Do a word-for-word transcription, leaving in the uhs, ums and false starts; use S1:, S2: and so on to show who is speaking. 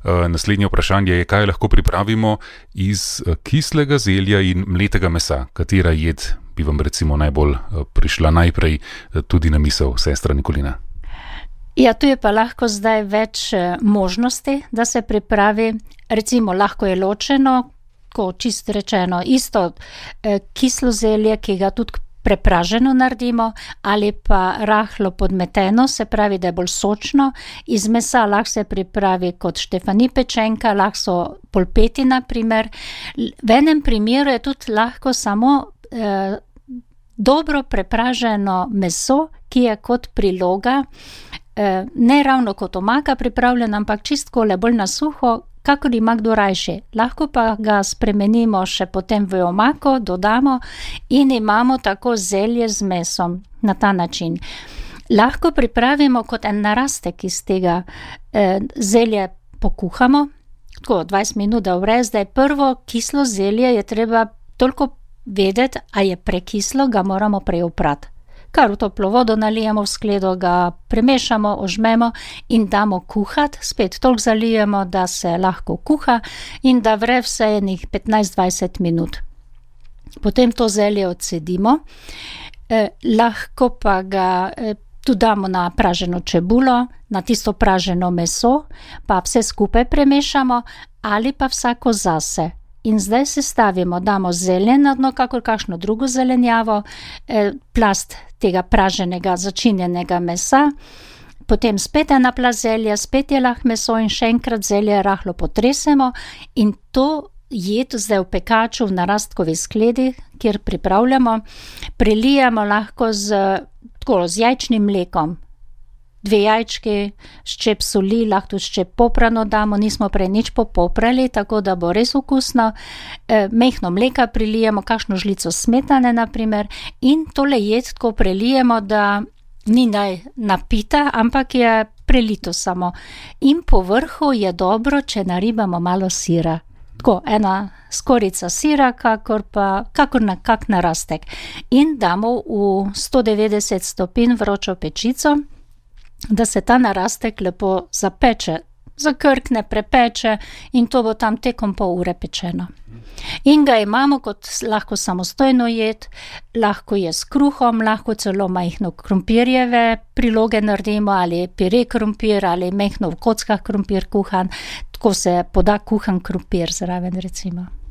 S1: Naslednje vprašanje je, kaj lahko pripravimo iz kislega zelja in mletega mesa. Katera jed bi vam recimo najbolj prišla najprej tudi na misel, sestra Nikolina?
S2: Ja, tu je pa lahko zdaj več možnosti, da se pripravi. Recimo, lahko je ločeno, ko čisto rečeno, isto kislo zelje, ki ga tudi prepraženo naredimo, ali pa rahlo podmeteno, se pravi, da je bolj sočno. Iz mesa lahko se pripravi kot štefani pečenka, lahko so polpeti na primer. V enem primeru je tudi lahko samo eh, dobro prepraženo meso, ki je kot priloga, eh, ne ravno kot omaka pripravljena, ampak čistko le bolj na suho, kakor ima kdo rajši. Lahko pa ga spremenimo še potem v omako, dodamo in imamo tako zelje z mesom na ta način. Lahko pripravimo kot en narastek iz tega. Eh, zelje pokuhamo, tako dvajset minut, da vre. Zdaj prvo kislo zelje je treba toliko vedeti, a je prekislo, ga moramo prej oprati. Kar v toplo vodo nalijemo v skledo, ga premešamo, ožmemo in damo kuhati. Spet toliko zalijemo, da se lahko kuha in da vre vse enih petnajst dvajset minut. Potem to zelje odcedimo. Eh, lahko pa ga eh, tudi damo na praženo čebulo, na tisto praženo meso, pa vse skupaj premešamo ali pa vsako zase. In zdaj sestavimo, damo zelje na dno, kakor kakšno drugo zelenjavo, eh, plast tega praženega, začinjenega mesa, potem spet ena plast zelja, spet je lahko meso in še enkrat zelje rahlo potresemo in to jed zdaj v pekaču v narastkovi skledi, kjer pripravljamo, prelijemo lahko z, tako, z jajčnim mlekom. Dve jajčki, ščep soli, lahko tudi ščep poprano damo, nismo prej nič popoprali, tako da bo res okusno. E, mehno mleka prilijemo, kakšno žlico smetane na primer in tole jed tako prelijemo, da ni naj napita, ampak je prelito samo. In po vrhu je dobro, če naribamo malo sira. Tako, ena skorica sira, kakor pa, kakor na kak narastek. In damo v sto devetdeset stopinj vročo pečico, da se ta narastek lepo zapeče, zakrkne, prepeče in to bo tam tekom pol ure pečeno. In ga imamo kot lahko samostojno jed, lahko je s kruhom, lahko celo majhno krompirjeve priloge naredimo ali pire krompir ali majhno v kockah krompir kuhan, tako se poda kuhan krompir zraven recimo.